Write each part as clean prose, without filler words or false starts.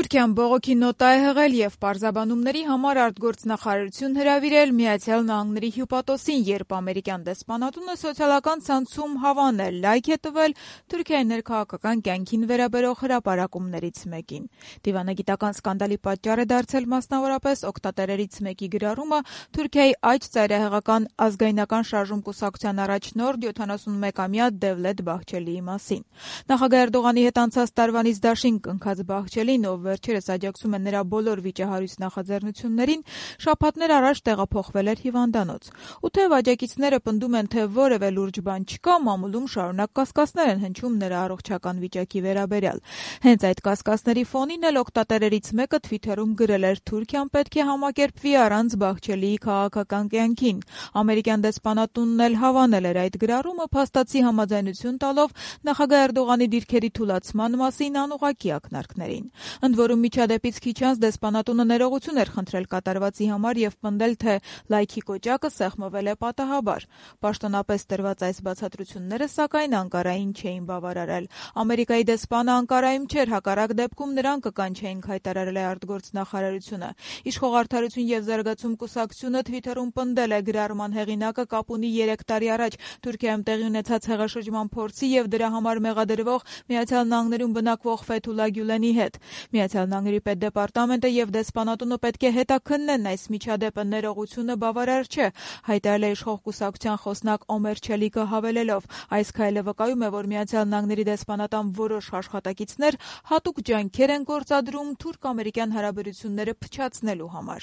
Թուրքիան բողոքի նոտա է հղել և պարզաբանումների համար արտգործնախարարություն հրավիրել Միացյալ Նահանգների հյուպատոսին, երբ ամերիկյան դեսպանատունը սոցիալական ցանցում հավանել լայք է տվել Թուրքիայի ներքաղաքական կյանքին վերաբերող հրապարակումներից մեկին։ Դիվանագիտական սկանդալի պատճառ է դարձել մասնավորապես օգտատերերից մեկի գրառումը Թուրքիայի աջ ծայրահեղական ազգայնական շարժում կուսակցության առաջնորդ 71-ամյա Դևլետ Բահչելիի մասին։ Նախագահ Էրդողանի հետ անցած տարվանից դաշինք ընկած Բահչելին, ով վերջերս աջակցում է նրա բոլոր վիճահարույց նախաձեռնություններին, շաբաթներ առաջ տեղափոխվել էր հիվանդանոց։ Ու թեև աջակիցները պնդում են, թե որևէ լուրջ բան չկա, մամուլում շարունակ կասկածներ են հնչում նրա առողջական վիճակի վերաբերյալ։ Հենց այդ կասկածների ֆոնին էլ օգտատերերից մեկը Թվիթերում գրել էր. «Թուրքիան պետք է համակերպվի առանց Բահչելիի քաղաքական կյանքին»։ Ամերիկյան դեսպանատունն էլ հավանել էր այդ գրառումը, փաստացի համաձայնություն տալով նախագահ Էրդողանի դիրքերի թուլացման մասին անուղղակի ակնարկներին։ Ընդ որում միջադեպից քիչ անց դեսպանատունը ներողություն էր խնդրել կատարվածի համար և պնդել, թե լայքի կոճակը սեղմվել է պատահաբար։ Պաշտոնապես տրված այս բացատրությունները, սակայն, Անկարային չէին բավարարել։ Ամերիկայի դեսպանը Անկարայում չէր, հակառակ դեպքում նրան կկանչեինք, հայտարարել է արտգործնախարարությունը։ Իշխող Արդարություն և զարգացում կուսակցությունը Թվիթերում պնդել է գրառման հեղինակը կապ ունի 3 տարի առաջ Թուրքիայում տեղի ունեցած հեղաշրջման փորձի և դրա համար մեղադրվող Միացյալ Նահանգներում բնակվող Ֆեթուլա Գյուլենի հետ։ Միացյալ Նահանգների պետդեպարտամենտը և դեսպանատունը պետք է հետաքննեն այս միջադեպը, ներողությունը բավարար չէ, հայտարարել է իշխող կուսակցության խոսնակ Օմեր Չելիկը, հավելելով. «Այս քայլը վկայում է, որ Միացյալ Նահանգների դեսպանատան որոշ աշխատակիցներ հատուկ ջանքեր են գործադրում թուրք-ամերիկյան հարաբերությունները փչացնելու համար»։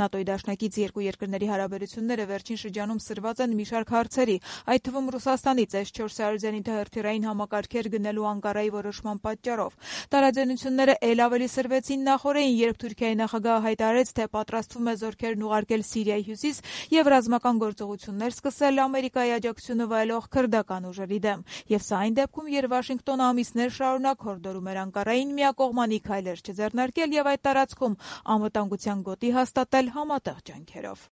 ՆԱՏՕ-ի դաշնակից երկու երկրների հարաբերությունները վերջին շրջանում սրված են մի շարք հարցերի, այդ թվում Ռուսաստանից S-400 զենիթահրթիռային համակարգեր գնելու Անկարայի որոշման պատճառով։ Տարաձայնությունները էլ ավելի սրվեցին նախօրեին, երբ Թուրքիայի նախագահը հայտարարեց, թե պատրաստվում է զորքերն ուղարկել Սիրիայի հյուսիս և ռազմական գործողություններ սկսել Ամերիկայի աջակցությունը վայելող քրդական ուժերի դեմ։ Եվ սա այն դեպքում, երբ Վաշինգտոնը ամիսներ շարունակ հորդորում էր Անկարային միակողմանի քայլեր չձեռնարկել և այդ տարածքում անվտանգության գոտի հաստատել համատեղ ջանքերով։